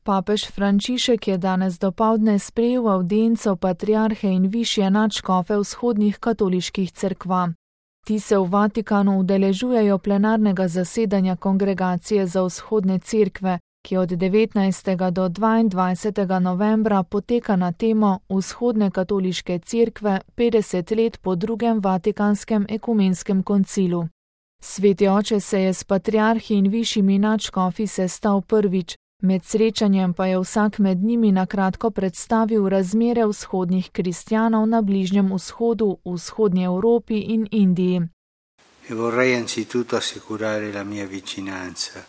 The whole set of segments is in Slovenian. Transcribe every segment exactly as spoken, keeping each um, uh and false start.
Papež Frančišek je danes dopoldne sprejel avdienco patriarhe in višje nadškofe vzhodnih katoliških cerkva. Ti se v Vatikanu udeležujejo plenarnega zasedanja Kongregacije za vzhodne cerkve, ki od devetnajstega do dvaindvajsetega novembra poteka na temo Vzhodne katoliške cerkve petdeset let po drugem Vatikanskem ekumenskem koncilu. Sveti oče se je s patriarhi in višjimi nadškofi sestal prvič, med srečanjem pa je vsak med njimi na kratko predstavil razmere vzhodnih kristjanov na Bližnjem vzhodu, v vzhodnji Evropi in Indiji. E vorrei anzitutto assicurare la mia vicinanza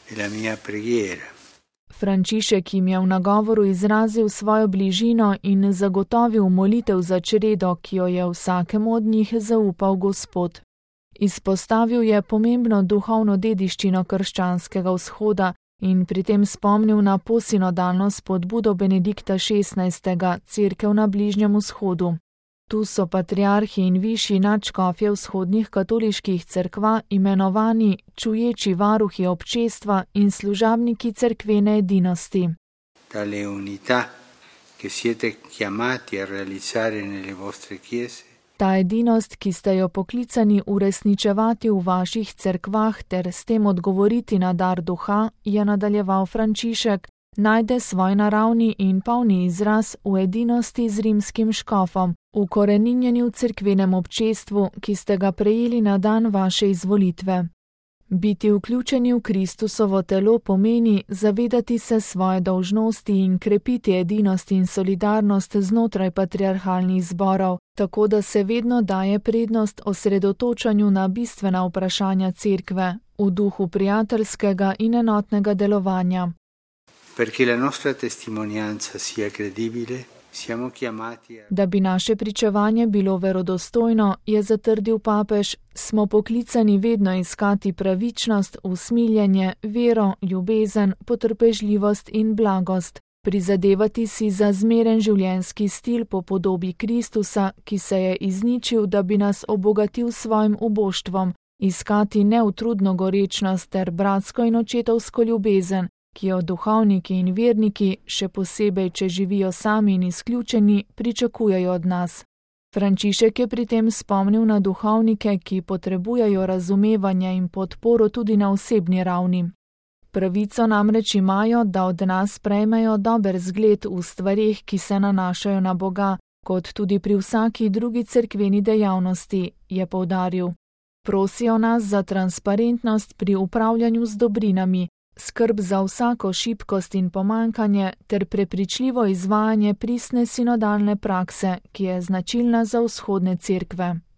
e la mia preghiera. Frančišek jim je v nagovoru izrazil svojo bližino in zagotovil molitev za čredo, ki jo je vsakemu od njih zaupal Gospod. Izpostavil je pomembno duhovno dediščino krščanskega vzhoda in pri tem spomnil na posinodalno spodbudo Benedikta šestnajstega Cerkev na Bližnjem vzhodu. Tu so patriarhi in višji nadškofje vzhodnih katoliških cerkva imenovani čuječi varuhi občestva in služabniki cerkvene edinosti. Tale unità che siete chiamati a realizzare nelle vostre chiese. Ta edinost, ki ste jo poklicani uresničevati v vaših cerkvah ter s tem odgovoriti na dar duha, je nadaljeval Frančišek, najde svoj naravni in polni izraz v edinosti z rimskim škofom, ukoreninjeni v cerkvenem občestvu, ki ste ga prejeli na dan vaše izvolitve. Biti vključeni v Kristusovo telo pomeni zavedati se svoje dolžnosti in krepiti edinost in solidarnost znotraj patriarhalnih zborov, tako da se vedno daje prednost osredotočanju na bistvena vprašanja cerkve, v duhu prijateljskega in enotnega delovanja. Perché la nostra testimonianza sia credibile, siamo chiamati a... Da bi naše pričevanje bilo verodostojno, je zatrdil papež, smo poklicani vedno iskati pravičnost, usmiljenje, vero, ljubezen, potrpežljivost in blagost, prizadevati si za zmeren življenjski stil po podobi Kristusa, ki se je izničil, da bi nas obogatil s svojim uboštvom, iskati neutrudno gorečnost ter bratsko in očetovsko ljubezen, ki jo duhovniki in verniki, še posebej, če živijo sami in izključeni, pričakujejo od nas. Frančišek je pri tem spomnil na duhovnike, ki potrebujejo razumevanje in podporo tudi na osebni ravni. Pravico namreč imajo, da od nas prejmejo dober zgled v stvareh, ki se nanašajo na Boga, kot tudi pri vsaki drugi cerkveni dejavnosti, je poudaril. Prosijo nas za transparentnost pri upravljanju z dobrinami, skrb za vsako šibkost in pomanjkanje ter prepričljivo izvajanje pristne sinodalne prakse, ki je značilna za vzhodne cerkve.